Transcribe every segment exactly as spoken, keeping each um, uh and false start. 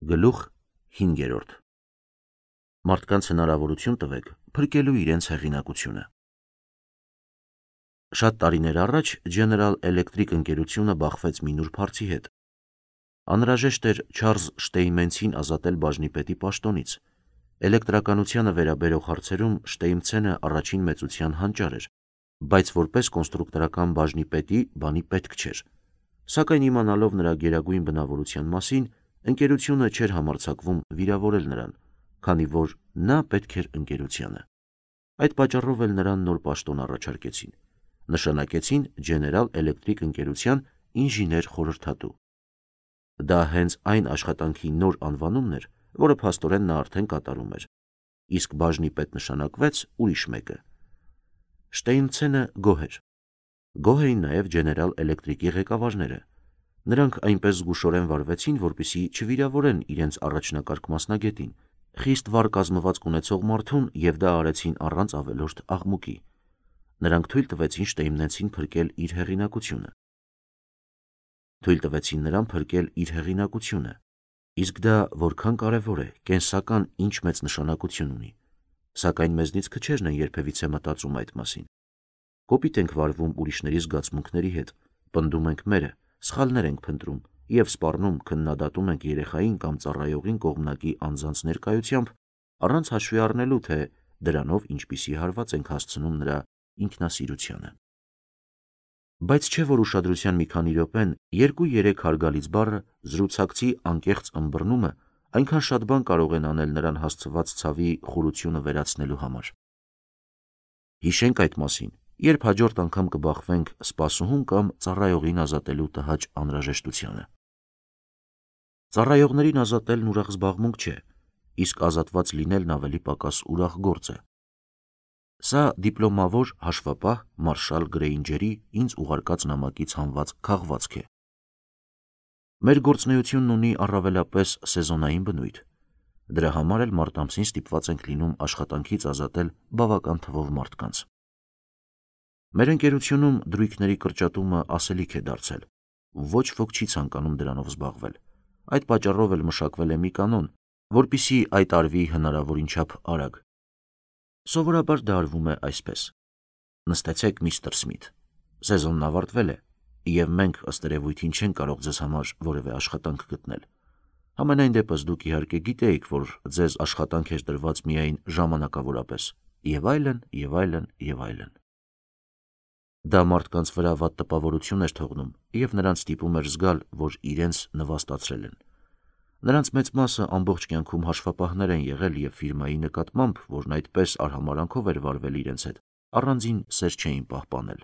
Գլուխ հինգերորդ. Մարդկանց հնարավորություն տվեք փրկելու իրենց հեղինակությունը։ Շատ տարիներ առաջ General Electric ընկերությունը բախվեց մի նուրբ հարցի հետ։ Անհրաժեշտ էր Չարլզ Շտեյնմենցին ազատել բաժնիպետի պաշտոնից։ Էլեկտրականությանը վերաբերող հարցերում Շտեյնմենցը առաջին մեծության հանճար էր, բայց որպես կոնստրուկտորական բաժնիպետի բանի պետք չէր։ Սակայն իմանալով նրա գերագույն բնավորության մասին, ընկերությունը չէր համարձակվում վիրավորել նրան, քանի որ նա պետք էր ընկերությանը։ Այդ պատճառով էլ նրան նոր պաշտոն առաջարկեցին։ Նշանակեցին General Electric ընկերության ինժեներ խորհրդատու։ Դա հենց այն աշխատանքի նոր անվանումն էր, որը փաստորեն նա արդեն կատարում էր, իսկ բաժնիպետ նշանակվեց ուրիշ մեկը։ Շտեյնմենցը գոհ էր։ Գոհ էին նաև General Electric-ի ղեկավարները։ Նրանք այնպես զգուշորեն վարվեցին, որպեսզի չվիրավորեն իրենց առաջնակարգ մասնագետին, խիստ վառ կազմվածք ունեցող մարդուն, և դա արեցին առանց ավելորդ աղմուկի։ Նրանք թույլ տվեցին Շտեյնմենցին փրկել իր հեղինակությունը։ Թույլ տվեցին նրան փրկել իր հեղինակությունը։ Իսկ դա որքան կարևոր է, կենսական ինչ մեծ նշանակություն ունի։ Սակայն մեզնից քչերն են երբևիցե մտածում այդ մասին։ Կոպիտ ենք վարվում ուրիշների զգացմունքների հետ, պնդում ենք մերը, սխալներ ենք փնտրում և սպառնում քննադատում ենք երեխային կամ ծառայողին կողմնակի անձանց ներկայությամբ, առանց հաշվի առնելու, թե դրանով ինչպիսի հարված ենք հասցնում նրա ինքնասիրությանը։ Բայց չէ՞ որ ուշադրության մի քանի րոպեն երկու-երեք հարգալից բառը, զրուցակցի անկեղծ ըմբռնումը այնքան շատ բան կարող են անել նրան հասցված ցավի խորությունը վերացնելու համար։ Հիշենք այդ մասին, երբ հաջորդ անգամ կբախվենք սպասուհուն կամ ծառայողին ազատելու տհաճ անհրաժեշտությանը։ Ծառայողներին ազատելն ուրախ զբաղմունք չէ, իսկ ազատված լինելն ավելի պակաս ուրախ գործ է։ Սա դիպլոմավոր հաշվապահ Մարշալ Գրեյնջերի ինձ ուղարկած նամակից հանված քաղվածք է։ Մեր գործունեությունն ունի առավելապես սեզոնային բնույթ։ Դրա համար էլ մարտ ամսին ստիպված ենք լինում աշխատանքից ազատել բավական թվով մարդկանց։ Մեր ընկերությունում դրույքների կրճատումը ասելիք է դարձել։ Ոչ ոք չի ցանկանում դրանով զբաղվել։ Այդ պատճառով էլ մշակվել է մի կանոն, որպեսզի այդ արվի հնարավորին չափ արագ։ Սովորաբար դա արվում է այսպես. նստեցեք, միստր Սմիթ, սեզոնն ավարտվել է, և մենք ըստ երևույթին չենք կարող ձեզ համար որևէ աշխատանք գտնել։ Համենայն դեպս դուք իհարկե գիտեիք, որ ձեզ աշխատանք էր տրված միայն ժամանակավորապես, և այլն, և այլն, և այլն։ Դա մարդկանց վրա վատ տպավորություն էր թողնում, և նրանց ստիպում էր զգալ, որ իրենց նվաստացրել են։ Նրանց մեծ մասը ամբողջ կյանքում հաշվապահներ են եղել և ֆիրմայի նկատմամբ, որն այդպես արհամարհանքով էր վարվել իրենց հետ, առանձին սեր չէին պահպանել։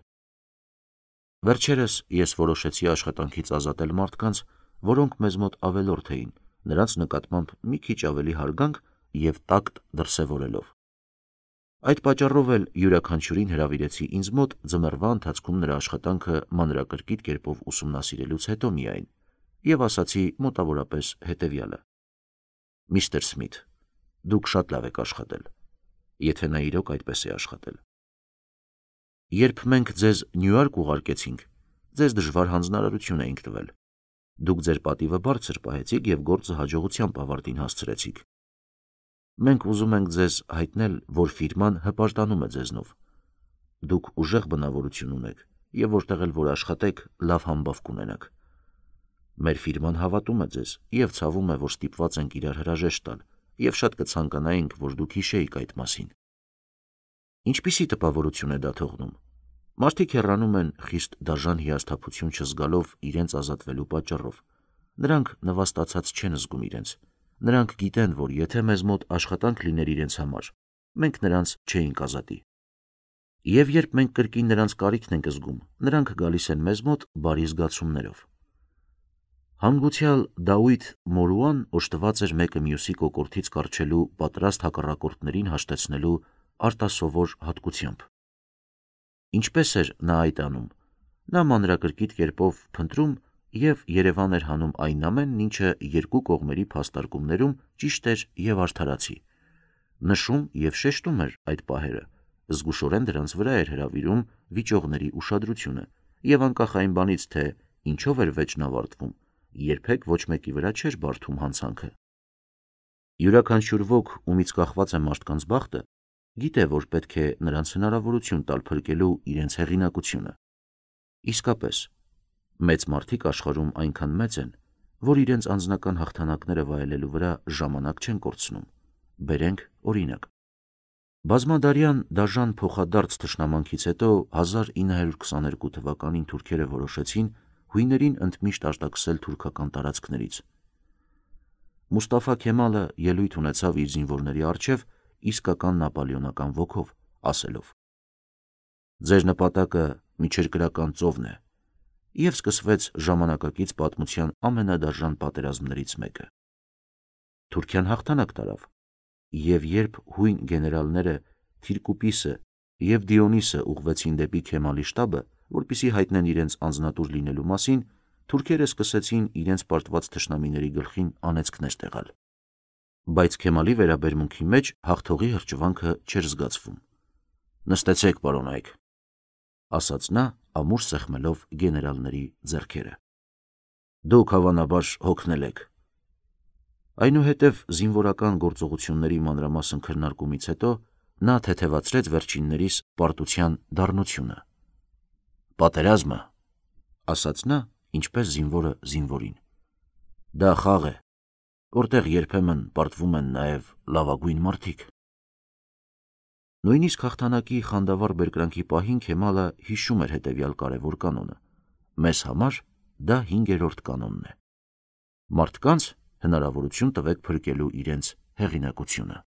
Վերջերս ես որոշեցի աշխատանքից ազատել մարդկանց, որոնք մեզ մոտ ավելորդ էին, նրանց նկատմամբ մի քիչ ավելի հարգանք և տակտ դրսևորելով։ Այդ պատճառով էլ յուրաքանչյուրին հրավիրեցի ինձ մոտ ձմեռվա ընթացքում նրա աշխատանքը մանրակրկիտ կերպով ուսումնասիրելուց հետո միայն, և ասացի մոտավորապես հետևյալը. միստր Սմիթ, դուք շատ լավ եք աշխատել, եթե նա իրոք այդպես է աշխատել։ Երբ մենք ձեզ Նյու Յորք ուղարկեցինք, ձեզ դժվար հանձնարարություն էինք տվել։ Դուք ձեր պատիվը բարձր պահեցիք և գործը հաջողությամբ ավարտին հասցրեցիք։ Մենք ուզում ենք ձեզ հայտնել, որ ֆիրման հպարտանում է ձեզնով։ Դուք ուժեղ բնավորություն ունեք, և որտեղ էլ որ աշխատեք, լավ համբավ կունենաք։ Մեր ֆիրման հավատում է ձեզ և ցավում է, որ ստիպված ենք իրար հրաժեշտ տալ, և շատ կցանկանայինք, որ դուք հիշեիք այդ մասին։ Ինչպիսի տպավորություն է դա թողնում։ Մարդիկ հեռանում են խիստ դաժան հիասթափություն չզգալով իրենց ազատվելու պատճառով։ Նրանք նվաստացած չեն զգում իրենց։ Նրանք գիտեն, որ եթե մեզ մոտ աշխատանք լիներ իրենց համար, մենք նրանց չէինք ազատի։ Եվ երբ մենք կրկին նրանց կարիքն ենք զգում, նրանք գալիս են մեզ մոտ բարի զգացումներով։ Հանգուցյալ Դավիթ Մորուան օժտված էր մեկը մյուսի կոկորդից կառչելու պատրաստ հակառակորդներին հաշտեցնելու արտասովոր հատկությամբ։ Ինչպես էր նա այդ անում։ Նա մանրակրկիտ կերպով փնտրում և երևան էր հանում այն ամենն, ինչը երկու կողմերի փաստարկումներում ճիշտ էր և արդարացի։ Նշում և շեշտում էր այդ պահերը, զգուշորեն դրանց վրա էր հրավիրում վիճողների ուշադրությունը, և անկախ այն բանից, թե ինչով էր վեճն ավարտվում, երբեք ոչ մեկի վրա չէր բարդում հանցանքը։ Յուրաքանչյուր ոք, ումից կախված է մարդկանց բախտը, գիտե, որ պետք է նրանց հնարավորություն տալ փրկելու իրենց հեղինակությունը։ Իսկապես, մեծ մարդիկ աշխարհում այնքան մեծ են, որ իրենց անձնական հաղթանակները վայելելու վրա ժամանակ չեն կորցնում։ Բերենք օրինակ։ Բազմադարյան դաժան փոխադարձ թշնամանքից հետո հազար ինը հարյուր քսաներկու թվականին թուրքերը որոշեցին հույներին ընդմիշտ արտաքսել թուրքական տարածքներից։ Մուստաֆա Քեմալը ելույթ ունեցավ իր զինվորների առջև իսկական նապոլեոնական ոգով, ասելով. «Ձեր նպատակը միջերկրական ծովն է», և սկսվեց ժամանակակից պատմության ամենադաժան պատերազմներից մեկը։ Թուրքիան հաղթանակ տարավ, և երբ հույն գեներալները Թիրկուպիսը և Դիոնիսը ուղղվեցին դեպի Քեմալի շտաբը, որպեսզի հայտնեն իրենց անձնատուր լինելու մասին, թուրքերը սկսեցին իրենց պարտված թշնամիների գլխին անեծքներ տեղալ։ Բայց Քեմալի վերաբերմունքի մեջ հաղթողի հրճվանքը չէր զգացվում։ «Նստեցեք, պարոնայք», ասաց նա, ամուր սեղմելով գեներալների ձեռքերը։ «Դուք հավանաբար հոգնել եք»։ Այնուհետև զինվորական գործողությունների մանրամասն քննարկումից հետո նա թեթևացրեց վերջիններիս պարտության դառնությունը։ «Պատերազմը», ասաց նա, ինչպես զինվորը զինվորին, «դա խաղ է, որտեղ երբեմն պարտվում են նաև լավագույն մարդիկ»։ Նույնիսկ հաղթանակի խանդավառ բերկրանքի պահին Քեմալը հիշում էր հետևյալ կարևոր կանոնը. «Մեզ համար դա հինգերորդ կանոնն է. մարդկանց հնարավորություն տվեք փրկելու իրենց հեղինակությունը»։